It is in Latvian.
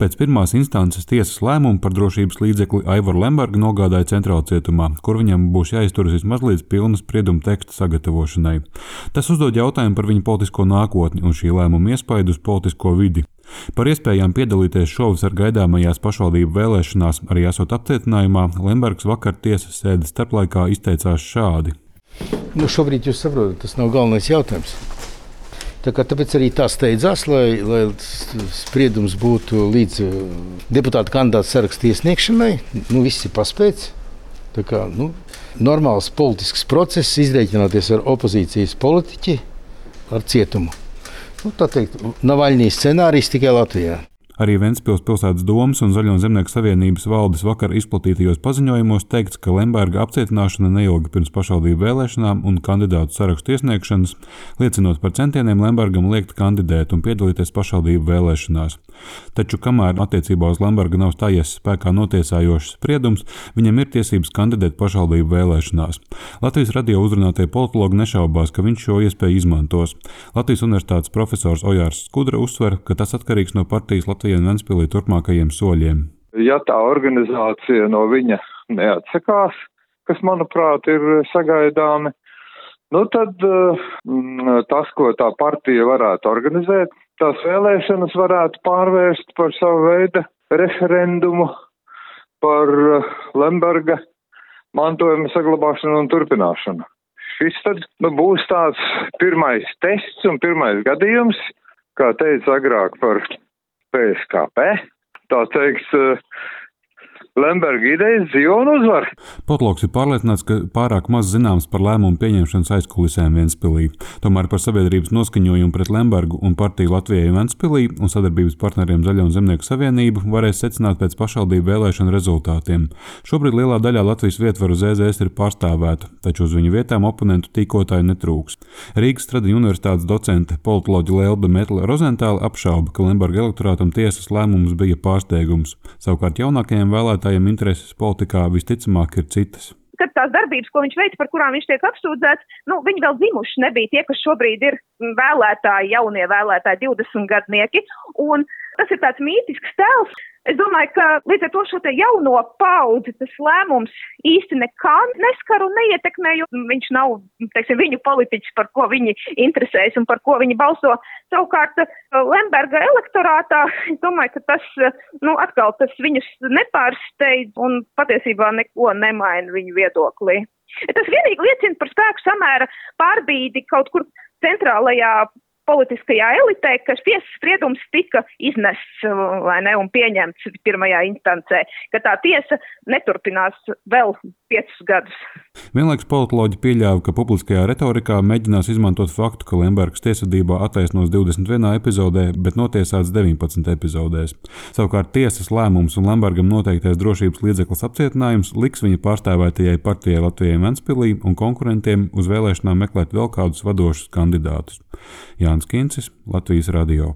Pēc pirmās instances tiesas lēmuma par drošības līdzekli Aivaru Lembergu nogādāja Centrāla cietumā, kur viņam būs jāizturas vismaz līdz pilna sprieduma teksta sagatavošanai. Tas uzdod jautājumu par viņa politisko nākotni un šī lēmuma iespaidu uz politisko vidi. Par iespējām piedalīties šovasar gaidāmajās pašvaldību vēlēšanās, arī esot apcietinājumā, Lembergs vakar tiesas sēdes starplaikā izteicās šādi. Šobrīd jūs saprotat, tas nav galvenais jautājums. Tāpēc arī tā steidzās, lai spriedums būtu līdz deputāta kandidāta saraksta iesniegšanai. Viss ir paspēts. Normāls politisks process, izrēķināties ar opozīcijas politiķi, ar cietumu. Tā teikt, Navaļņijas scenārijs tikai Latvijā. Arī Ventspils pilsētas domas un Zaļo zemnieku savienības valdes vakar izplatītajos paziņojumos teikts, ka Lemberga apcietināšana neilga pirms pašvaldību vēlēšanām un kandidātu sarakstu iesniegšanas, liecinot par centieniem Lembergam liekt kandidēt un piedalīties pašvaldību vēlēšanās. Taču, kamēr attiecībā uz Lembergu nav stājies spēkā notiesājošs spriedums, viņam ir tiesības kandidēt pašvaldību vēlēšanās. Latvijas radio uzrunātie politologi nešaubās, ka viņš šo iespēju izmantos. Latvijas universitātes profesors Ojārs Skudra uzsver, ka tas atkarīgs no partijas Latvijā un Ventspilī turpmākajiem soļiem. Ja tā organizācija no viņa neatsakās, kas, manuprāt, ir sagaidāmi, tad tas, ko tā partija varētu organizēt, tās vēlēšanas varētu pārvērst par savu veidu referendumu par Lemberga mantojuma saglabāšanu un turpināšanu. Šis tad būs tāds pirmais tests un pirmais gadījums, kā teica agrāk par PSKP, tā teiks, Lemberga idejas dzīvo un uzvar. Potloks ir pārliecināts, ka pārāk maz zināms par lēmumu pieņemšanas aizkulisēm Ventspilī. Tomēr par sabiedrības noskaņojumu pret Lembergu un partiju Latvijai Ventspilī un sadarbības partneriem Zaļo zemnieku savienību varēs secināt pēc pašvaldību vēlēšanu rezultātiem. Šobrīd lielā daļā Latvijas vietvaru ZZS ir pārstāvēta, taču uz viņu vietām oponentu tīkotāju netrūks. Rīgas Stradiņu universitātes docente politoloģe Lelbe Metle Rozentāle apšauba, ka Lemberga elektorātam tiesas lēmums bija pārsteigums. Savukārt jaunākajiem vēlētājiem intereses politikā visticamāk ir citas. Kad tās darbības, ko viņš veic, par kurām viņš tiek apsūdzēts, viņi vēl dzimuši nebija tie, kas šobrīd ir vēlētāji, jaunie vēlētāji, 20 gadnieki, un tas ir tāds mītisks tēls. Es domāju, ka līdz ar to šo te jauno paudzi tas lēmums īsti nekā neskar un neietekmē, jo viņš nav, viņu politiķis, par ko viņi interesējas un par ko viņi balso. Savukārt Lemberga elektorātā, es domāju, ka tas, atkal tas viņus nepārsteidz un patiesībā neko nemaina viņu viedoklī. Tas vienīgi liecina par spēku samēra pārbīdi kaut kur centrālajā politiskajā elitē, ka tiesas spriedums tika iznests un pieņemts pirmajā instancē, ka tā tiesa neturpinās vēl 5 gadus. Vienlaikus politoloģi pieļāva, ka publiskajā retorikā mēģinās izmantot faktu, ka Lembergs tiesvedībā attaisnos 21 epizodē, bet notiesāts 19 epizodēs. Savukārt tiesas lēmums un Lembergam noteiktais drošības līdzeklis apcietinājums liks viņa pārstāvētajai partijai Latvijai Ventspilī un konkurentiem uz vēlēšanām meklēt vēl kādus vadošus kandidātus. Jānis Kincis, Latvijas radio.